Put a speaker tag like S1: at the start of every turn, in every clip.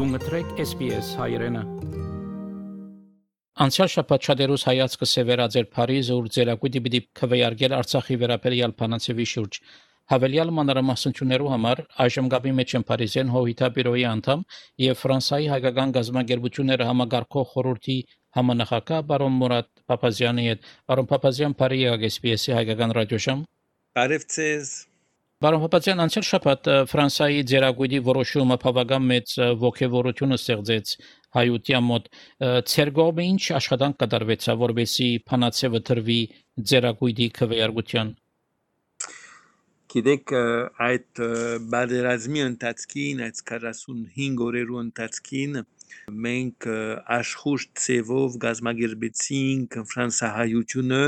S1: Գունգտրեք SPS հայրենը։ Անցյալ շաբաթ շատերուս հայացքը սևերաձեր Փարիզը ուր ձերակույտի պիտի քվեարկել Արցախի վերաբերյալ բանացեվի շուրջ։ Հավելյալ մանրամասնություններու համար այժմ գաբի մեջ են Փարիզեն հովիտաբիրոյի անդամ եւ Ֆրանսիայի հայկական գազམ་ագերբությունները համագարկող խորհրդի համանախագահ բարոն Մուրադ Փափազյանի հետ։ Բարոն Փափազյան, բարի եղեք SPS-ի հայկական ռադիոժամ։
S2: Բարևձեզ։
S1: Բարոն Փափազյան, անցյալ շաբաթ Ֆրանսիայի ձերագույտի որոշումը բավական մեծ ողջավորություն ստեղծեց հայության մոտ։ Ձեր կողմը ինչ աշխատանք կատարվեցավ, որպեսզի փանացեվը դրվի ձերագույտի քվեարկության։
S2: Գիտեք, այդ բادرազմի ընթացքին, այդ 45 օրերու ընթացքին մենք աշխուժ ցևով գազམ་ագերբեցինք ֆրանսահայությունը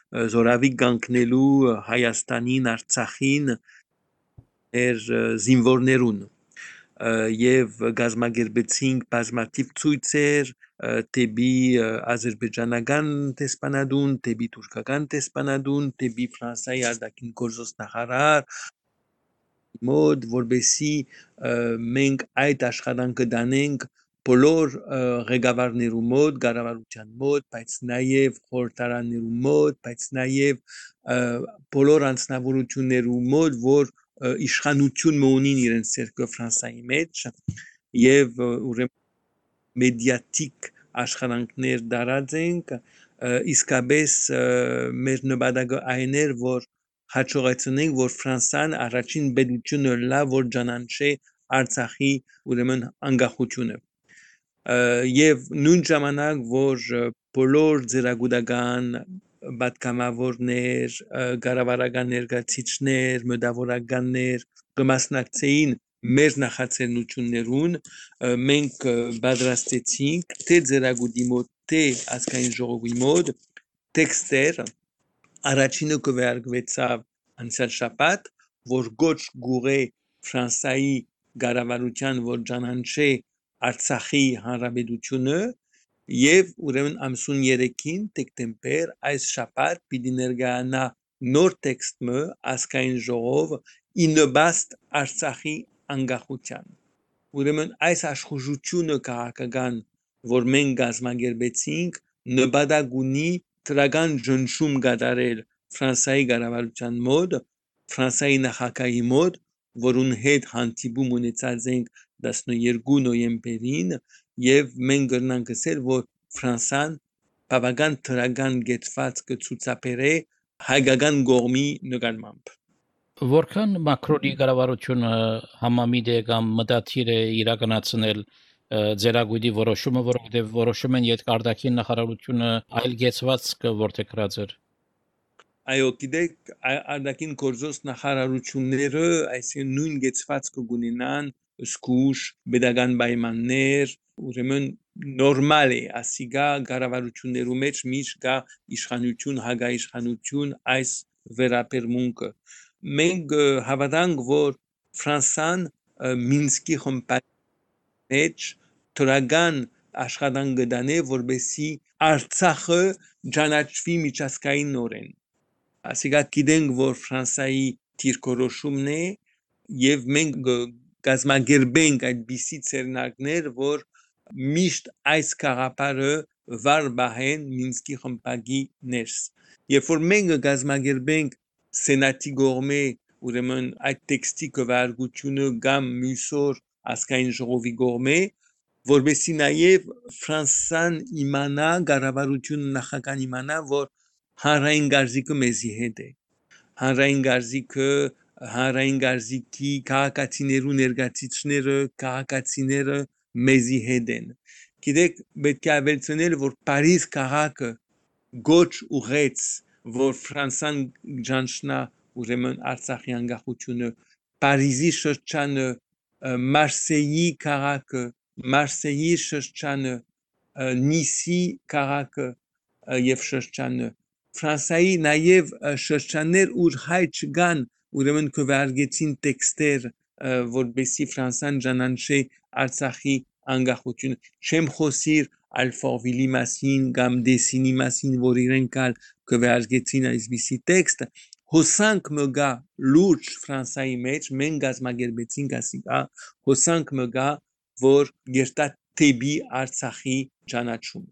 S2: զորավի կանգնելու Հայաստանին, Արցախին զինվորներուն եւ գազམ་ագերբեցինք բազմաթիվ ցույցեր տեբի ադրբեջանական տեսփանադուն, տեբի թուրքական տեսփանադուն, տեբի Ֆրանսիայի արտաքին գործոս նախարար մոդ, որբեսի մենք այդ աշխատանքը դանենք բոլոր ղեկավարներու մոտ, կառավարության մոտ, բայց նաև խորհրդարաններու մոտ, բայց նաև բոլոր անձնավորություններու մոտ, որ իշխանություն ունին իրենց ցերկը Ֆրանսիայի մեջ եւ ուրեմն մեդիատիկ աշխատանքներ դարածենք, իսկապես մեր նպատակը այն էր, որ հաջողեցնենք, որ Ֆրանսիան առաջին պետությունը լա, որ ճանաչի Արցախի ուրեմն անկախությունը եւ նույն ժամանակ, որ բոլոր ձերագուտական պատգամավորներ, կառավարական ներկայացիչներ, մտավորականներ կմասնակցեին մեր նախաձեռնություններուն, մենք պատրաստեցինք թե ձերագուտի մոտ, թե ազգային ժողովի մոտ տեքստեր, առաջինը քվեարկվեցավ անցյալ շաբաթ, որ գոչ գուղե Ֆրանսիայի կառավարության, որ ճանաչի Արցախի հանրապետությունը եւ ուրեմն ամսուն 3-ին դեկտեմբեր այս շաբաթ պիտի ներկայանա նոր տեքստը ազգային ժողով իննոբաստ Արցախի անկախության ուրեմն այս աշխուժությունը քաղաքական որ մենք գազམ་ագերբեցինք նպատակ ունի դրական ճնշում կատարել Ֆրանսիայի կառավարության մոտ Ֆրանսիայի նախագահի մոտ որուն հետ հանդիպում ունեցած ենք 12 նոյեմբերին եւ մենք կրնանք ասել որ Ֆրանսիան բավական դրական գեցված կցուցաբերե հայկական կողմի նկատմամբ
S1: Որքան Մակրոնի կառավարությունը համամիտ է կամ մտադիր է իրականացնել ձերագույտի որոշումը, որովհետև որոշում են յետքարտակին նախարարությունը այլ գեցվածք որտեղած էր։
S2: Այո, գիտեք, արտաքին գործոս նախարարությունները այսինքն նույն գեցվածքը կունենան զգուշ pedagogan պայմաններ, ուրեմն նորմալ է, ասիկա կառավարություններու մեջ միշտ կա իշխանություն, հագաիշխանություն այս վերաբերմունքը։ Մենք հավատանք, որ Ֆրանսիան Մինսկի խմբի մեջ դրական աշխատանք կդանե, որբեսի Արցախը ճանաչվի միջազգայինորեն։ Ասիկա գիտենք, որ Ֆրանսիայի դիրքորոշումն է եւ մենք գազམ་ագերբենք այդպիսի ցերնակներ, որ միշտ այս քաղաքարը վար բահեն Մինսկի խմբի ներս։ Երբ որ մենք գազམ་ագերբենք սենատի կողմէ ուրեմն այդ տեքստի քվեարկությունը կամ մյուսոր ազգային ժողովի կողմէ որբեսի նաև Ֆրանսիան իմանա կառավարությունը նախագահան իմանա որ հանրային գարզիկը մեզի հետ է հանրային գարզիկը հանրային գարզիկի քաղաքացիներու ներկայացիչները քաղաքացիները մեզի հետ են գիտեք պետք է ավելցնել որ Փարիզ քաղաքը գոչ ուղեց որ Ֆրանսիան ճանչնա ուրեմն Արցախի անկախությունը Փարիզի շրջանը Մարսեյի քաղաքը Մարսեյի շրջանը Նիսի քաղաքը եւ շրջանը Ֆրանսիայի նաև շրջաններ ուր հայ չկան ուրեմն քվեարկեցին տեքստեր որբեսի Ֆրանսիան ճանաչի Արցախի անկախությունը չեմ խոսիր Ալֆորվիլի մասին կամ Դեսինի մասին որ իրենք քվեարկեցին այսպիսի տեքստ հոսանք մգա լուրջ Ֆրանսիայի մեջ մենք գազམ་ագերբեցինք ասիկա հոսանք մգա որ գերտա տեբի Արցախի ճանաչում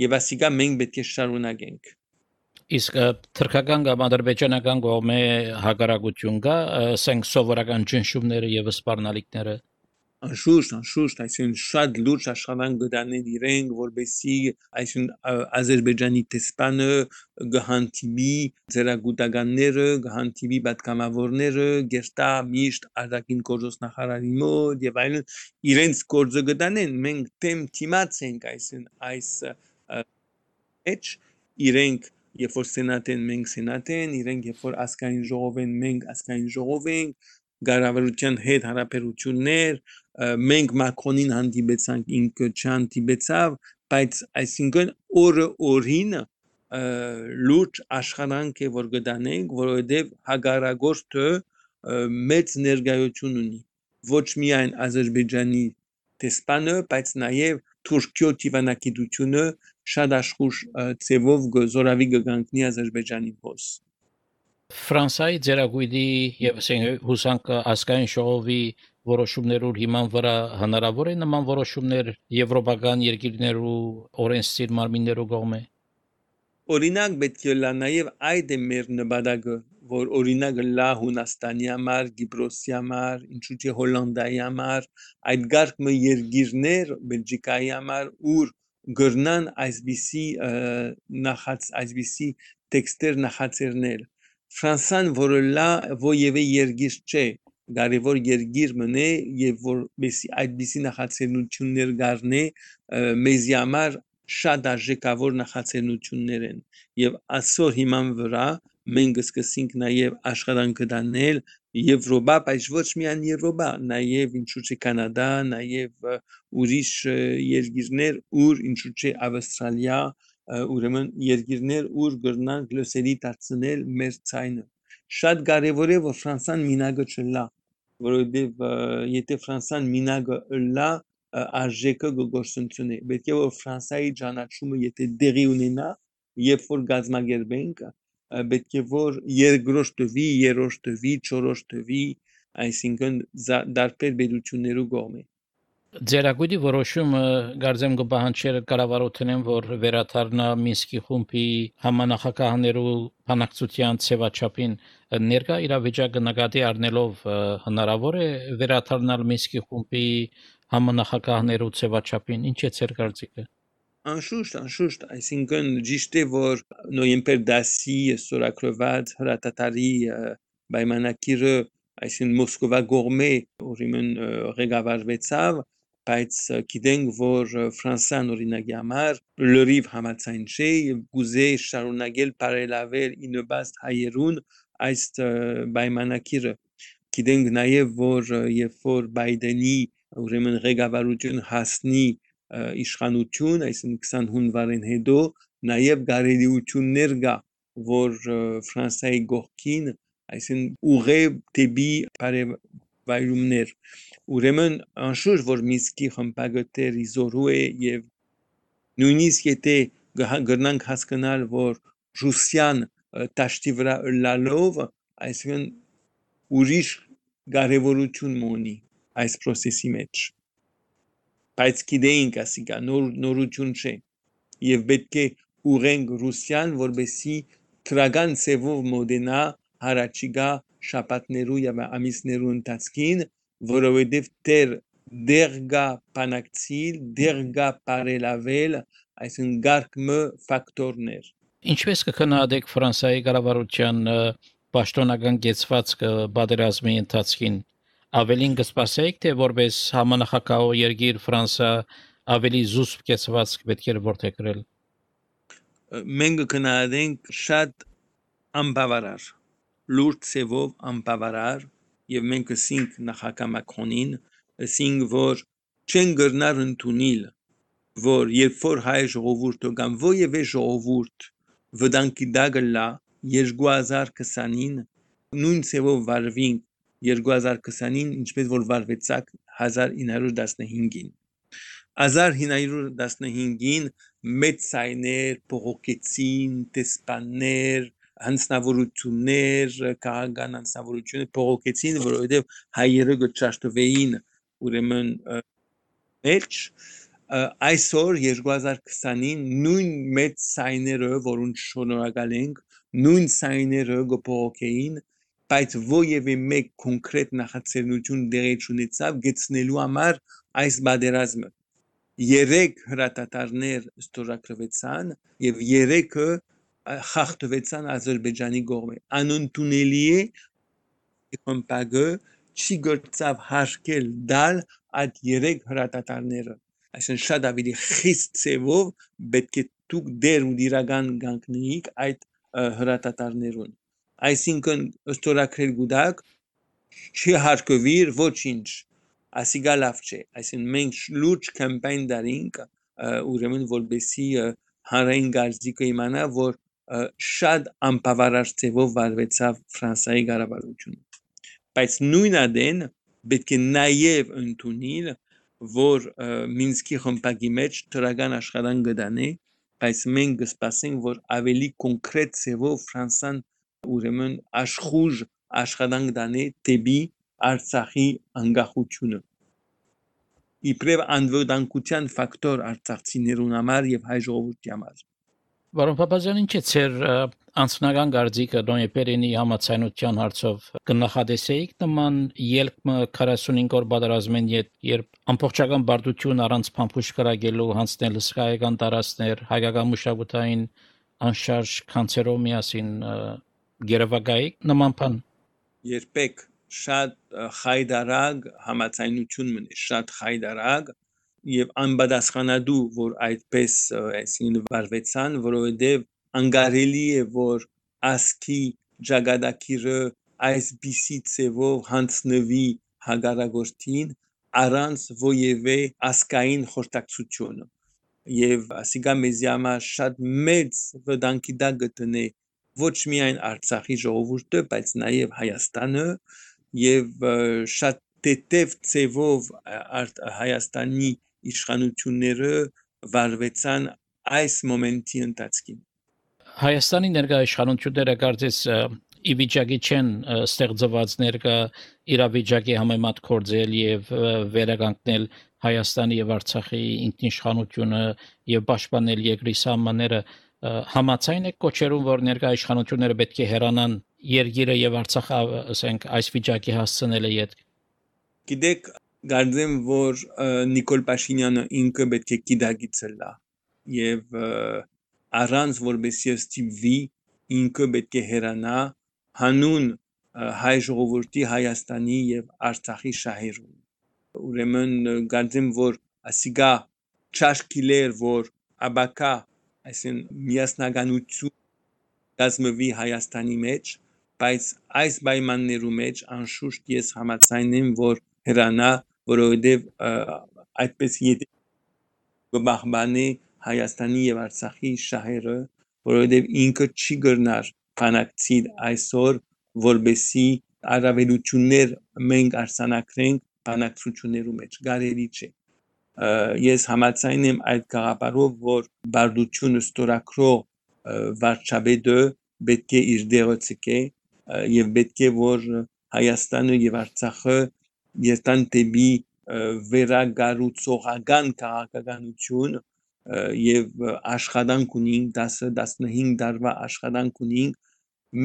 S2: եւ ասիկա մենք պետք է շարունակենք
S1: Իսկ թրքական կամ ադրբեջանական կողմի հակարակություն կա, ասենք սովորական ճնշումները եւ սպառնալիքները։
S2: անշուշտ, այսինքն շատ լուրջ աշխատանք գտանեն իրենք, որբեսի այսինքն Ադրբեջանի տեսփանը գահանտիբի ծերագուտականները, գահանտիբի պատգամավորները, գերտա միշտ արտաքին գործոս նախարարի մոտ եւ այլն իրենց գործը գտանեն, մենք թեմ թիմած ենք այսինքն այս մեջ իրենք երբ որ սենատ են մենք սենատ են իրենք երբ որ ազգային ժողով են մենք ազգային ժողով ենք գարավարության հետ հարաբերություններ մենք Մակրոնին հանդիպեցանք ինքը չհանդիպեցավ բայց այսինքն օրը օրին լուրջ աշխատանք է որ գտանենք որովհետև հագարագործը մեծ ներկայություն ունի ոչ միայն Ադրբեջանի տեսփանը բայց նաև Թուրքիո դիվանագիտությունը շատ աշխուժ ծևով զորավի գանքնի Ադրբեջանի փոս
S1: Ֆրանսիայի ձերագույդի եւ ասենք հուսանք ազգային ժողովի որոշումներով հիման վրա հնարավոր է նման որոշումներ եվրոպական երկիրներու օրենսդիր մարմիններու կողմէ
S2: օրինակ պետք է լա նաև այդ է մեր նպատակը որ օրինակ լա Հունաստանի համար, Կիպրոսի համար, ինչու՞ չէ Հոլանդիայի համար, այդ գարկը երկիրներ Բելգիկայի համար ուր գրնան այսպիսի այսպիսի տեքստեր նախաձեռնել Ֆրանսան որը լա ովևէ երկիր չէ կարևոր երկիր մնե եւ որպեսի այդպիսի նախաձեռնություններ գարնե մեզի համար շատ արժեքավոր նախաձեռնություններ են եւ այսօր հիման վրա մենք սկսենք նաև աշխատանք գտնել Եվրոպա, բայց ոչ միայն Եվրոպա, նաև ինչու՞ չէ Կանադա, նաև ուրիշ երկիրներ, ուր ինչու՞ չէ Ավստրալիա, ուրեմն երկիրներ, ուր գրնան գլոսերի դարձնել մեր ցայնը։ Շատ կարևոր է, որ Ֆրանսան մինագը չլա, որովհետև եթե Ֆրանսան մինագը լա, արժեքը գործունեությունը։ Պետք է որ Ֆրանսիայի ճանաչումը եթե դեղի ունենա, երբ որ գազագերբենք պետք է որ երկրորդ տվի, երրորդ տվի, չորրորդ տվի, այսինքն դարբեր պետություններու կողմէ։
S1: Ձերագույդի որոշումը գարձեմ կպահանջեր կառավարութենեն որ վերաթարնա Մինսկի խումբի համանախագահներու բանակցության ցեվաչափին ներկա իրավիճակը նկատի առնելով հնարավոր է վերաթարնալ Մինսկի խումբի համանախագահներու ցեվաչափին ինչ է ձեր կարծիքը
S2: Անշուշտ, այսինքն ճիշտ է որ նոյեմբեր 10-ի ստորագրված հրատատարի պայմանագիրը այսինքն Մոսկվա կողմէ ուրեմն ղեկավարվեցավ բայց գիտենք որ Ֆրանսիան օրինակի համար լրիվ համաձայն չէ եւ գուզե շարունակել բարելավել ինոբաստ հայերուն այս պայմանագիրը գիտենք նաեւ որ երբ որ Բայդենի ուրեմն ղեկավարություն հասնի իշխանություն, այսինքն 20 հունվարին հետո նաև գարելիություններ կա, որ Ֆրանսիայի գողքին, այսինքն ուղե դեպի բարեվայրումներ։ Ուրեմն անշուշտ որ Մինսկի խմբագետերի զորու է եւ նույնիսկ եթե գրնանք հասկանալ, որ Ռուսիան տաշտի վրա լալով, այսինքն ուրիշ կարևորություն ունի այս process-ի մեջ բայց գիտեինք ասիկա նորություն չէ եւ պետք է ուղենք Ռուսիան որբեսի քրական ծևով մոդենա հարաճիգա շաբաթներու եւ ամիսներու ընթացքին որովհետեւ դեր գա բանակցիլ դեր գա բարելավել այսինքն գարկմը ֆակտորներ
S1: Ինչպես կքննադեք Ֆրանսիայի կառավարության պաշտոնական գեցվածքը պատերազմի ընթացքին Ավելին կսպասեիք թե որպես համանախագահ երկիր Ֆրանսիա ավելի զուսպ կեցվածք պետք է որթեքրել
S2: մենք կնայենք շատ անբավարար լուրջ ծևով անբավարար եւ մենք ասինք նախագահ Մակրոնին ասինք որ չեն գրնար ընդունել որ երբ որ հայ ժողովուրդը կամ ովևէ ժողովուրդ վտանգի տակ լա 2020-ին նույն ծևով վարվինք 2020-ին ինչպես որ վարվեցակ 1915-ին 1915-ին մեծ ցայներ փողոքեցին տեսփաններ հանձնավորություններ քաղաքական հանձնավորություններ փողոքեցին որովհետև հայերը գճաշտվեին ուրեմն մեջ այսօր 2020-ին նույն մեծ սայները, որոնց շնորհակալ ենք, նույն սայները գփողոքեին, բայց ովևէ մեկ կոնկրետ նախաձեռնություն դեղի չունեցավ գեցնելու համար այս բادرազմը։ 3 հրատատարներ ստորագրվեցան եւ 3-ը խախտվեցան Ադրբեջանի կողմէ։ Անընդունելի է ՀՄՊԳ չի գործավ հարկել դալ այդ 3 հրատատարները։ Այսինքն շատ ավելի խիստ ծևով պետք է դուք դեր ու դիրական գանքնեիք այդ հրատատարներուն։ Այսինքն ստորագրել գուտակ չի հարկվիր ոչինչ, ասիգա լավ չէ, այսինքն մենք լուրջ կամպայն դարինք ուրեմն որբեսի հանրային գարզիկը իմանա, որ շատ անբավարար ծևով վարվեցավ Ֆրանսիայի կառավարությունը, բայց նույն ադեն պետք է նաև ընդունել, որ Մինսկի խմբակի մեջ դրական աշխատանք կդանի, բայց մենք կսպասենք, որ ավելի կոնկրետ ծևով Ֆրանսան ուրեմն աշխուժ աշխատանք դանի դեպի Արցախի անկախությունը։ Իբրև անվտանգության ֆակտոր արցախցիներուն համար եւ հայ ժողովրդի համար։
S1: Պարոն Փափազյան, ինչ է ձեր անձնական կարծիքը նոյեմբերինի համաձայնության հարցով կնախադեսեիք նման ելքը 45 օր պատերազմեն երբ ամբողջական բարդություն առանց փամփուշտ կրակելու հանձնել հսկայական տարածքներ հայկական մշակութային անշարժ կանցերով միասին գերավագայիք նման բան։
S2: Երբեք շատ խայդարագ համաձայնություն մնի, շատ խայդարագ եւ անբադասխանադու, որ այդպես այսինքն վարվեցան, որովհետեւ անկարելի է, որ ասկի ճակատագիրը այսպիսի ծևով հանձնվի հագարագործին առանց ովևէ ասկային խորտակցություն եւ ասիգա մեզի համար շատ մեծ վտանգի տակ գտնե ոչ միայն Արցախի ժողովուրդը, բայց նաեւ Հայաստանը եւ շատ տետև ծևով Հայաստանի իշխանությունները վարվեցան այս մոմենտի ընթացքին։
S1: Հայաստանի ներկայ իշխանությունները կարծես ի վիճակի չեն ստեղծված ներկա իրավիճակի համեմատ կործել եւ վերականգնել Հայաստանի եւ Արցախի ինքնիշխանությունը եւ պաշտպանել երկրի սահմանները համաձայն եք կոչերում, որ ներկայ իշխանությունները պետք է հեռանան երկիրը եւ Արցախը, ասենք, այս վիճակի հասցնելը յետ։
S2: Գիտեք, կարծեմ, որ Նիկոլ Փաշինյանը ինքը պետք է գիտակցել լա եւ առանց որբեսի ստիպվի ինքը պետք է հեռանա հանուն հայ ժողովրդի Հայաստանի եւ Արցախի շահերուն։ Ուրեմն կարծեմ, որ ասիգա ճաշկիլեր, որ աբակա այսինքն միասնականություն գազմվի Հայաստանի մեջ, բայց այս պայմաններու մեջ անշուշտ ես համաձայն եմ, որ հրանա, որովհետև այդպես եթե կբախբանի Հայաստանի եւ Արցախի շահերը, որովհետև ինքը չի գրնար բանակցիլ այսօր, որբեսի առավելություններ մենք արձանագրենք բանակցություններու մեջ, կարելի չէ։ Ես համաձայն եմ այդ գաղափարով, որ բարդությունը ստորագրող վարչապետը պետք է իր դերը ցկե եւ պետք է որ Հայաստանը եւ Արցախը երթան դեպի վերագառուցողական քաղաքականություն եւ աշխատանք ունին 10-15 տարվա աշխատանք ունին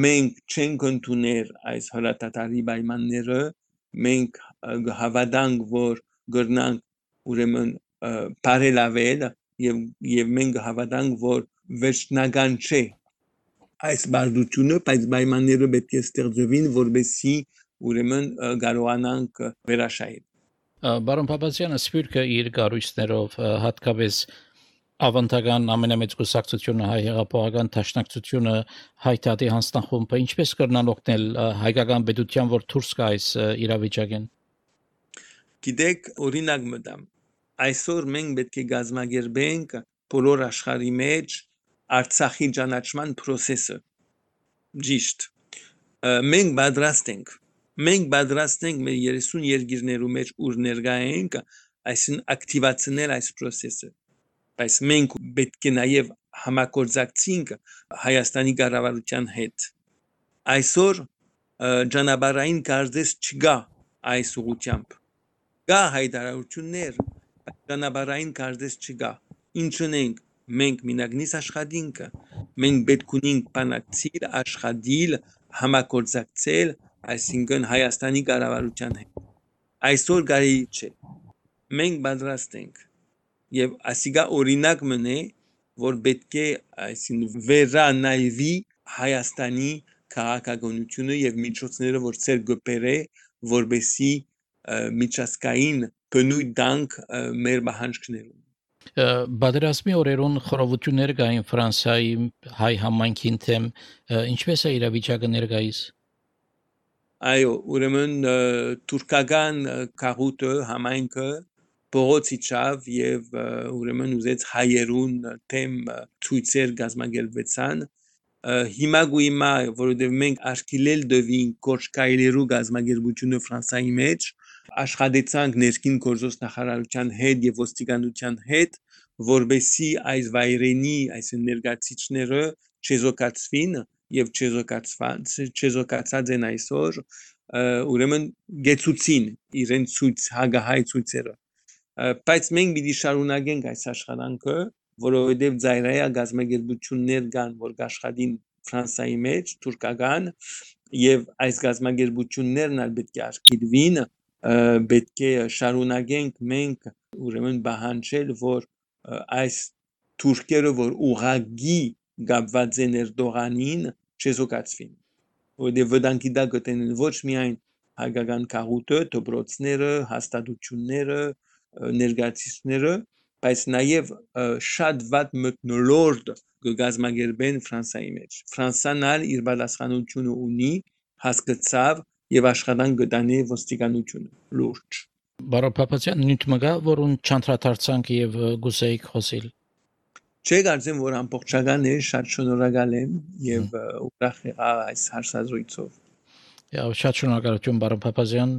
S2: մենք չենք ընդունել այս հրատատարի պայմանները մենք հավատանք որ գրնանք ուրեմն բարելավել եւ մենք հավատանք որ վերջնական չէ այս բարդությունը բայց պայմանները պետք է ստեղծվին որբեսի ուրեմն կարողանանք վերաշայել
S1: Պարոն Փափազյանը սպիրկը իր գարույցներով հատկապես ավանդական ամենամեծ կուսակցությունը հայ հեղափոխական դաշնակցությունը հայտարարի հանձնախումբը ինչպես կրնան օգնել հայկական պետության որ դուրս գա այս իրավիճակեն։
S2: Գիտեք օրինակ մտամ այսօր մենք պետք է գազմագերբենք բոլոր աշխարհի մեջ Արցախի ճանաչման process-ը ճիշտ մենք պատրաստ ենք մեր 30 երկիրներու մեջ ուր ներկա ենք այսին ակտիվացնել այս process-ը բայց մենք պետք է նաև համագործակցենք Հայաստանի կառավարության հետ այսօր ճանապարհային կարծես չկա այս ուղղությամբ կա հայտարարություններ ճանապարհային կարծես չկա։ Ինչն ենք մենք մինագնիս աշխատինքը, մենք պետք ունենք բանակցել, աշխատել, համագործակցել, այսինքն Հայաստանի կառավարության հետ։ Այսօր կարելի չէ։ Մենք պատրաստ ենք եւ ասիգա օրինակ մնե, որ պետք է այսինքն վերանայվի Հայաստանի քաղաքականությունը եւ միջոցները, որ ցեր գբերե, որբեսի միջազգային բնույթ դանք մեր բանջկներում։
S1: Բادرազմի օրերուն խորհրդություններ կային Ֆրանսիայի հայ համայնքին թեմ, ինչպես է իրավիճակը ներկայիս։
S2: Այո, ուրեմն թուրքական քաղուտը համայնքը փողոցիչավ եւ ուրեմն ուզեց հայերուն թեմ ցույցեր գազմագերբեցան։ Հիմա գույմա, որովհետև մենք աշկիլել դվին կորչկայլերու գազմագերբությունը Ֆրանսայի մեջ, աշխատեցանք ներքին գործոս նախարարության հետ եւ ոստիկանության հետ, որբեսի այս վայրենի, այս ներգացիչները չեզոքացվին եւ չեզոքացած են այսօր, ուրեմն գեցուցին իրեն ցույց հագահայ ցույցերը։ Բայց մենք պիտի շարունակենք այս աշխատանքը, որովհետև ծայրայա գազագերբություններ կան, որ աշխատին Ֆրանսայի մեջ, թուրքական, եւ այս գազագերբություններն ալ պետք է արգելվին, պետք է շարունակենք մենք ուրեմն բանջել, որ այս թուրքերը, որ ուղագի գաբված են Էրդողանին, չեզոքացվին, որովհետև վտանգի դա գտնեն ոչ միայն հայկական քաղուտը, դպրոցները, հաստատությունները, ներգացիչները, բայց նաև շատ վատ մթնոլորտ գազմագերբեն Ֆրանսայի մեջ։ Ֆրանսան ալ իր պատասխանությունը ունի, հասկացավ եւ աշխատանք գտանի ոստիկանությունը լուրջ։
S1: Բարոն Փափազյան, նույն մգա, որուն չանդրադարձանք եւ գուսեիք խոսիլ։
S2: Չէ, կարծեմ, որ ամբողջական է, շատ շնորհակալ եմ եւ ուրախ եղա այս հարցազրույցով։
S1: Շատ շնորհակալություն, բարոն Փափազյան,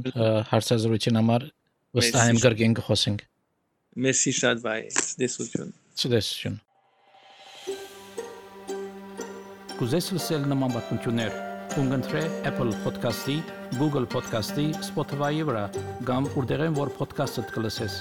S1: հարցազրույցին համար վստահ եմ կրկին կխոսենք։
S2: Մերսի շատ վայ, դեսություն։
S1: Ցտեսություն։ Կուզես լսել նման բանություններ, կընտրե Apple Podcast-ի, Google Podcast-ի, Spotify-ի վրա, կամ որտեղեն որ podcast-ը կլսես։